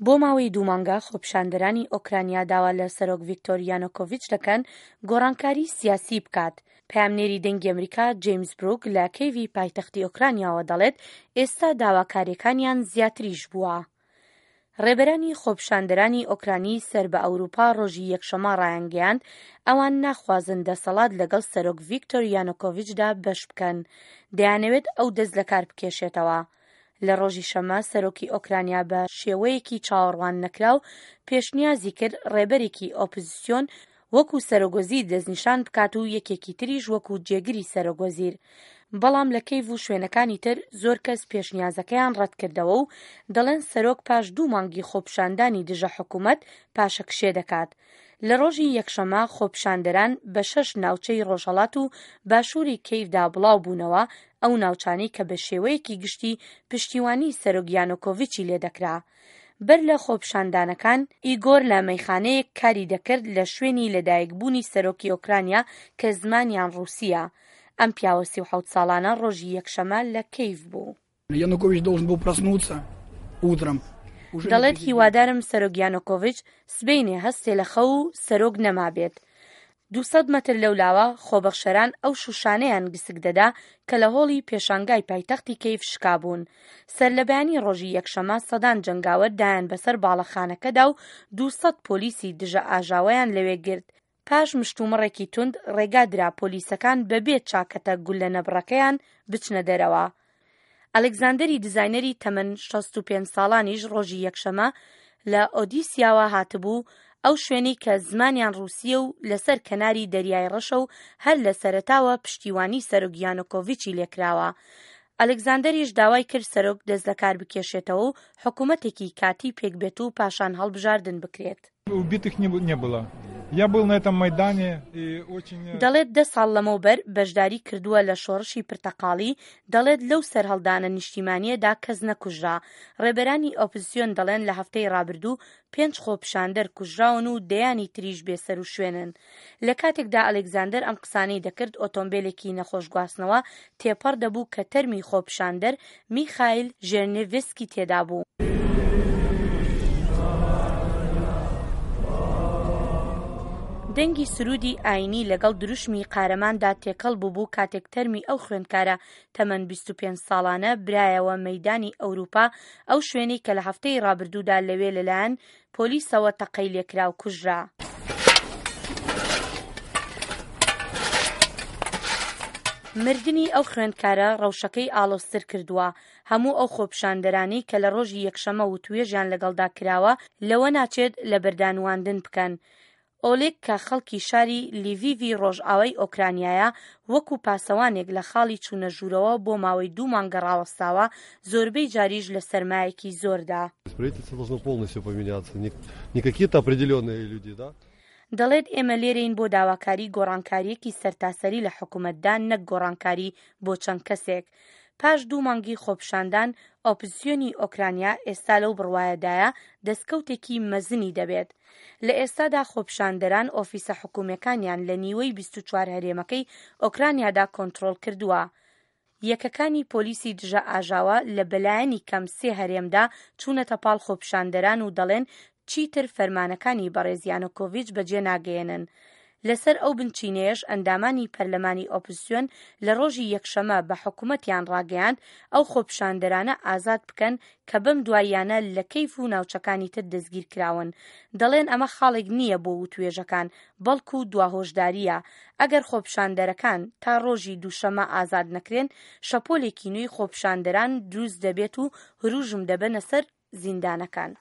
بۆ ماوەی دوو مانگە خۆپیشاندەرانی ئۆکرانیا داوا لە سەرۆک ڤیکتۆر یانۆکۆڤیچ دەکەن گۆڕانکاری سیاسی بکات. پەیامنێری دەنگی ئەمریکا جەیمس بروک لە کەیڤی پایتەختی ئۆکرانیاوە دەڵێت ئێستا داواکارییەکانیان زیاتریش بووە. ڕێبەرانی خۆپیشاندەرانی ئۆکرانی سەر بە ئەوروپا ڕۆژی یەکشەممە ڕایانگەیاند ئەوان ناخوازن دەسەڵات لەگەڵ سەرۆک ڤیکتۆر یانۆکۆڤیچدا بەش بکەن، دەیانەوێت ئەو دەست لەکار بکێشێتەوە. لە ڕۆژی شەممە سەرۆکی ئۆکرانیا بە شێوەیەکی چاوەڕوان نەکراو پێشنیازی کرد ڕێبەرێکی ئۆپزسیۆن وەکو سەرۆکوەزیر دەستنیشان بکات و یەکێکی تریش وەکو جێگری سەرۆکوەزیر. بەڵام لە کەیڤ و شوێنەکانی تر زۆر کەس پێشنیازەکەیان ڕەتکردەوە و دەڵێن سەرۆک پاش دوو مانگی خۆپیشاندانی دژە حکومەت پاشەکشێ دەکات. لە ڕۆژی یەکشەممە خۆپیشاندەران بە شەش ناوچەی ڕۆژهەڵات و باشووری کەیڤدا بڵاو بوونەوە، ئەو ناوچانەی کە بە شێوەیەکی گشتی پشتیوانی سەرۆک یانۆکۆڤیچی لێدەکرا. بەر لە خۆپیشاندانەکان، ئیگۆر لە مەیخانەیەک کاری دەکرد لە شوێنی لەدایکبوونی سەرۆکی ئۆکرانیا کە زمانیان ڕووسییە. ئەم پیاوە 37 ساڵانە ڕۆژی یەکشەمە لە کەیڤ بوو. دەڵێت هیوادارم سەرۆک یانۆکۆڤیچ سبەینێ هەستێ لە خەو و سەرۆک نەمابێت. 200 مەتر لەولاوە خۆبەخشەران ئەو شووشانەیان گسک دەدا کە لە هۆڵی پێشانگای پایتەختی کەیڤ شکابوون. سەرلەبەیانی ڕۆژی یەکشەمە سەدان جەنگاوەر دایان بەسەر باڵەخانەکەدا و 200 پۆلیسی دژە ئاژاوەیان لەوێ گرت. پاش مشتومڕێکی توند ڕێگا درا پۆلیسەکان بەبێ چاکەتە گوللە نەبڕەکەیان بچنە دەرەوە. ئەلێکزاندەری دیزاینەری تەمەن 65 ساڵانیش ڕۆژی یەکشەمە لە ئۆدیسیاوە هاتبوو، ئەو شوێنەی کە زمانیان ڕووسییە و لەسەر کەناری دەریای ڕەشە و هەر لە سەرەتاوە پشتیوانی سەرۆک یانۆکۆڤیچی لێکراوە. ئەلێکزاندەریش داوای کرد سەرۆک دەستلەکاربکێشێتەوە و حکومەتێکی کاتی پێکبێت و پاشان هەڵبژاردن بکرێت. دەڵێت دە ساڵ لەمەوبەر بەشداری کردووە لە شۆڕشی پرتەقاڵی، دەڵێت لەو سەرهەڵدانە نیشتیمانییەدا کەس نەکوژرا. ڕێبەرانی ئۆپزسیۆن دەڵێن لە هەفتەی ڕابردوو پێنج خۆپیشاندەر کوژراون و دەیانی تریش بێسەروشوێنن. لە کاتێکدا ئەلێکزاندەر ئەم قسانەی دەکرد ئۆتۆمبێلێکی نەخۆشگواستنەوە تێپەڕ دەبوو کە تەرمی خۆپیشاندەر میخایل ژێرنێڤسکی تێدابوو. دەنگی سروودی ئایینی لەگەڵ دروشمی قارەماندا تێکەڵ بووبوو کاتێک تەرمی ئەو خوێندکارە تەمەن 25 ساڵانە برایەوە مەیدانی ئەوروپا، ئەو شوێنەی کە لە هەفتەی ڕابردوودا لەوێ لەلایەن پۆلیسەوە تەقەی لێکرا و کوژرا. مردنی ئەو خوێندکارە ڕەوشەکەی ئاڵۆزتر کردووە، هەموو ئەو خۆپیشاندەرانەی کە لە ڕۆژی یەکشەممە وتوێژیان لەگەڵدا کراوە لەوە ناچێت لەبەردانواندن بکەن. ئۆلێگ کە خەڵکی شاری لیڤیڤی ڕۆژئاوای ئۆکرانیایە، وەکو پاسەوانێک لە خاڵی چوونە ژوورەوە بۆ ماوەی دوو مانگە ڕاوەستاوە، زۆربەی جاریش لە سەرمایەکی زۆردا. دەڵێت ئێمە لێرەین بۆ داواکاری گۆڕانکارییەکی سەرتاسەری لە حکومەتدا نەک گۆڕانکاری بۆ چەند کەسێک. پاش دوو مانگی خۆپیشاندان، ئۆپزسیۆنی ئۆکرانیا ئێستا لەو بڕوایەدایە دەستکەوتێکی مەزنی دەبێت. لە ئێستادا خۆپیشاندەران ئۆفیسە حکومییەکانیان لە نیوەی 24 هەرێمەکەی ئۆکرانیادا کۆنترۆڵ کردووە. یەکەکانی پۆلیسی دژە ئاژاوە لە بەلایەنی کەم سێ هەرێمدا چوونەتە پاڵ خۆپیشاندەران و دەڵێن چیتر فەرمانەکانی بەڕێز یانۆکۆڤیچ بەجێ ناگەیەنن. لەسەر ئەو بنچینەیەش ئەندامانی پەرلەمانی ئۆپزسیۆن لە ڕۆژی یەکشەمە بە حکومەتیان ڕاگەیاند ئەو خۆپیشاندەرانە ئازاد بکەن کە بەم دواییانە لە کەیف و ناوچەکانی تر دەستگیرکراون. دەڵێن ئەمە خاڵێک نییە بۆ وتوێژەکان، بەڵکو دوا هۆشدارییە. ئەگەر خۆپیشاندەرەکان تا ڕۆژی دووشەمە ئازاد نەکرێن، شەپۆلێکی نوێی خۆپیشاندەران دروست دەبێت و هروژم دەبەنە سەر زیندانەکان.